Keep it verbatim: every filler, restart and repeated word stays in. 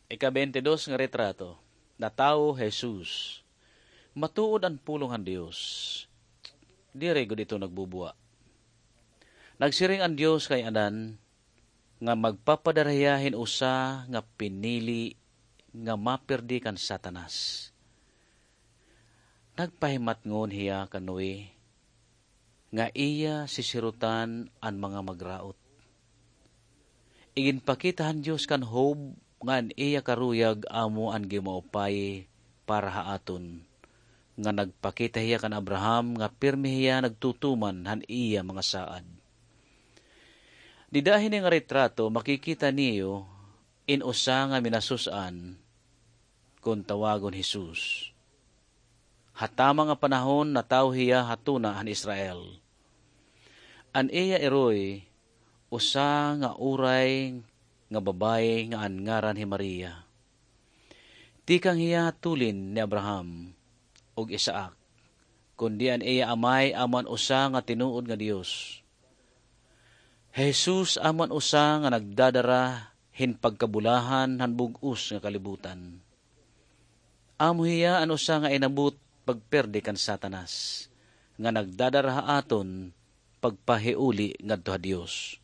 Ika-bente dos nga retrato, natawo hi Jesus. Matuod an pulong han Dios. Diri gud ito nagbubuwa. Nagsiring an Dios kay Adan nga magpapadara hiya hin usa nga pinili nga mapirdi kan Satanas. Nagpahimatngon hiya kan Noe nga iya sisirutan an mga magraot. Iginpakita han Dios kan Job nga an iya karuyag amo an ginmaupayi para ha aton, nga nagpakita hiya kan Abraham nga pirme hiya nagtutuman han iya mga saad. Dida hini nga retrato, makikita niyo in usa nga minasus-an kon tawagon Jesus. Ha tama nga panahon, natawo hiya ha tuna han Israel. An iya iroy, usa nga uray nga babaye nga an ngaran hi Maria. Tikang hiya tulin ni Abraham ug Isaac, kundi an iya amay amo an usa nga tinuod nga Dios. Hi Jesus amo an usa nga nagdadara hin pagkabulahan han bug-os nga kalibutan. Amo hiya an usa nga inabot pagperde kan Satanas, nga nagdadara ha aton pagpahiuli ngadto ha Dios.